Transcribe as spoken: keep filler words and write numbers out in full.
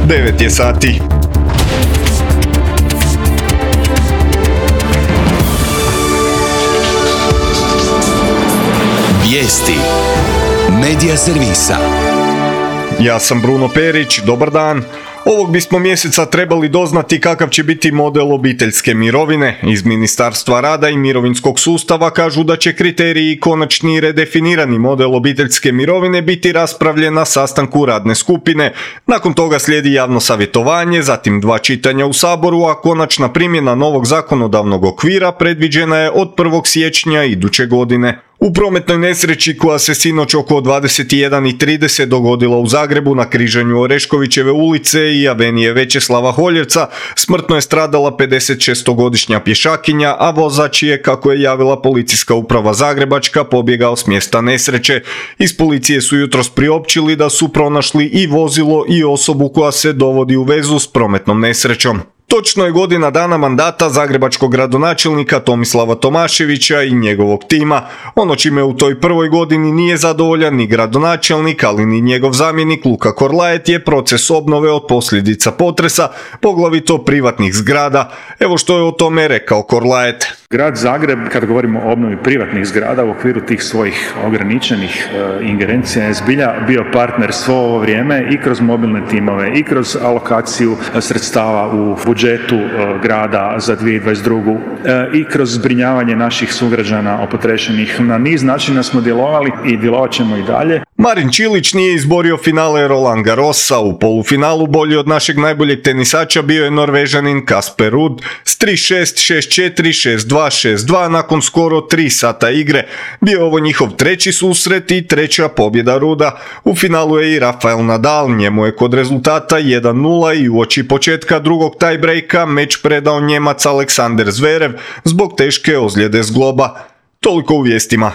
devet je sati. Vijesti Medija servisa. Ja sam Bruno Perić, dobar dan. Ovog bismo mjeseca trebali doznati kakav će biti model obiteljske mirovine. Iz Ministarstva rada i mirovinskog sustava kažu da će kriteriji i konačni redefinirani model obiteljske mirovine biti raspravljen na sastanku radne skupine. Nakon toga slijedi javno savjetovanje, zatim dva čitanja u Saboru, a konačna primjena novog zakonodavnog okvira predviđena je od prvog siječnja iduće godine. U prometnoj nesreći koja se sinoć oko dvadeset jedan i trideset dogodila u Zagrebu na križanju Oreškovićeve ulice i avenije Večeslava Holjevca smrtno je stradala pedesetšestogodišnja pješakinja, a vozač je, kako je javila Policijska uprava Zagrebačka, pobjegao s mjesta nesreće. Iz policije su jutros priopćili da su pronašli i vozilo i osobu koja se dovodi u vezu s prometnom nesrećom. Točno je godina dana mandata zagrebačkog gradonačelnika Tomislava Tomaševića i njegovog tima. Ono čime u toj prvoj godini nije zadovoljan ni gradonačelnik, ali ni njegov zamjenik Luka Korlaet je proces obnove od posljedica potresa, poglavito privatnih zgrada. Evo što je o tome rekao Korlaet. Grad Zagreb, kada govorimo o obnovi privatnih zgrada u okviru tih svojih ograničenih e, ingerencija, je zbilja bio partner svo ovo vrijeme i kroz mobilne timove i kroz alokaciju sredstava u budžetu e, grada za dvije tisuće dvadeset drugu. E, i kroz zbrinjavanje naših sugrađana opotrešenih. Na niz načina smo djelovali i djelovat ćemo i dalje. Marin Čilić nije izborio finale Roland Garrosa. U polufinalu bolji od našeg najboljeg tenisača bio je Norvežanin Casper Ruud s tri šest, šest četiri, šest dva, šest dva nakon skoro tri sata igre. Bio je ovo njihov treći susret i treća pobjeda Ruda. U finalu je i Rafael Nadal, njemu je kod rezultata jedan nula i uoči početka drugog tiebreaka meč predao Njemac Aleksander Zverev zbog teške ozljede zgloba. Toliko u vijestima.